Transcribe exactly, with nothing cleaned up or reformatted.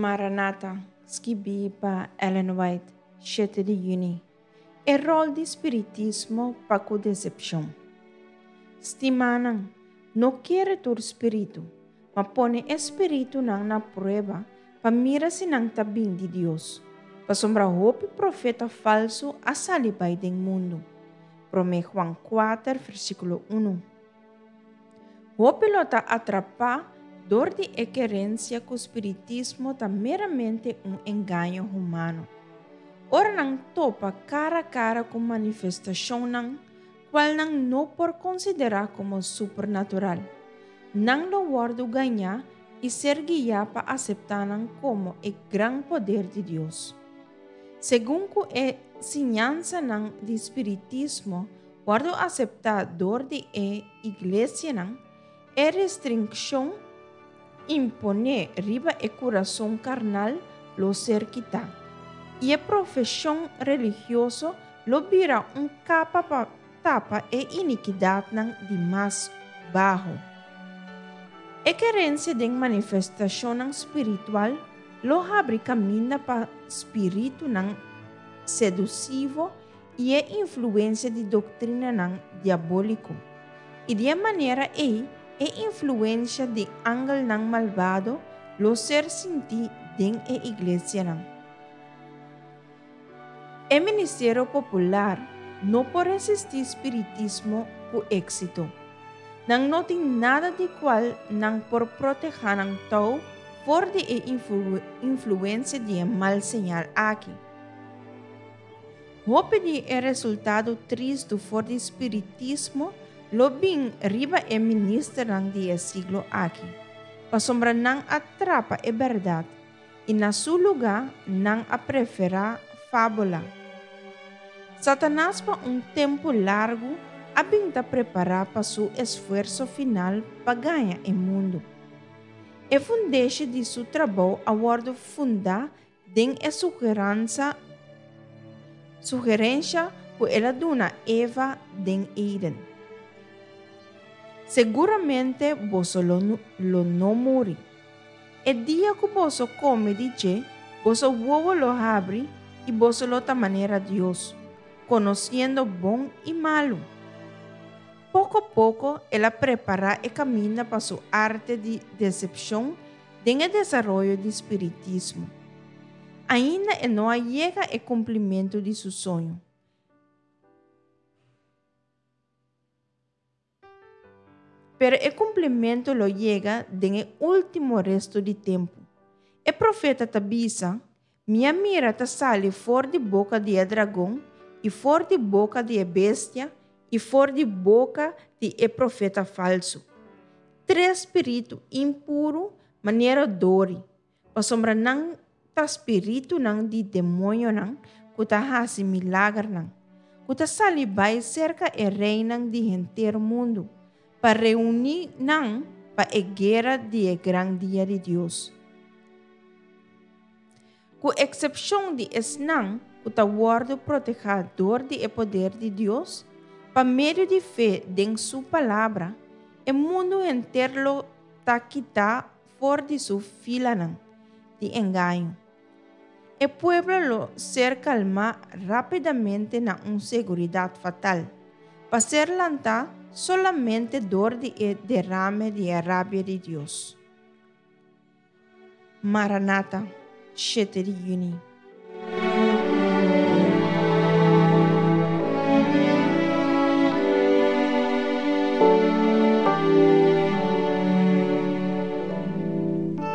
Maranata, skibí pa Ellen White, shete di yüni. E ròl di spiritismo pa ku desepshon. Stimánan, no kere tur spiritu, ma pone e spiritunan na prueba pa mira si nan ta bin di Dios. Pasobra hopi profeta falsu a sali bai den mundu. Promé Juan kuater, versíkulo un. Hopi lo ta atrapá dor di e kerensia ku spiritismo ta meramente un engaño humano. Ora nan topa kara kara ku manifestashonnan kual nan no por konsiderá komo supernatural, nan lo wòrdu gañá i ser guiá pa aseptá nan komo e gran poder di Dios. Segun ku e siñansanan di spiritismo wòrdu aseptá dor di e iglesianan, e restrikshon imponé riba e kurason karnal lo ser kitá, i e profeshon religioso lo bira un kapa pa tapa e inikidatnan di mas baho. E kerensia den manifestashonnan spiritual lo habri kaminda pa spiritunan sedusivo i e influensia di doktrinanan diabóliko. I di e manera ei e influensia di angelnan malbado lo ser sintí den e iglesianan. E ministerio popular no por resistí spiritismo ku éksito. Nan no tin nada di kual nan por protehá nan tou for di e influ influensia di e mal señal aki. Hopi di e resultado tristu for di spiritismo lo bin riba e ministernan di e siglo aki. Pasobra nan a trapa e bèrdat i na su lugá nan a preferá fábula. Satanas pa un tempu largu a bin ta prepará pa su esfuerso final pa gaña e mundu. E fundeshi di su trabou a wòrdu fundá den e sugeransa sugerensha ku el a duna Eva den Eden. Seguramente boso lo no, lo no muri. E dia ku boso kome di dje, boso wowo lo habri i boso lo ta manera Dios, konosiendo bon i malu. Poko poko el a prepará e kaminda pa su arte di desepshon den e desaroyo di spiritismo. Ainda e no a yega e kumplimentu di su soño. Pero e kumplimentu lo yega den e último restu di tempu. E profeta ta bisa, Mi a mira ta sali for di boka di e dragon, i for di boka di e bestia, i for di boka di e profeta falsu. Tres spiritu impuru manera dori, pasobra nan ta spiritunan di demoñonan ku ta hasi milagernan, ku ta sali bai serka e reinan di henter mundu, pa reuní nan pa e guera di e gran dia di Dios. Ku eksepshon di esnan ku ta wòrdu protehá dor di e poder di Dios, pa medio di fe den su palabra, e mundu henter lo ta kitá for di su filanan di engaño. E pueblo lo ser kalmá rápidamente na un seguridat fatal, pa ser lantá solamente dor di e derame di e rabia di Dios. Maranata, shete di yüni.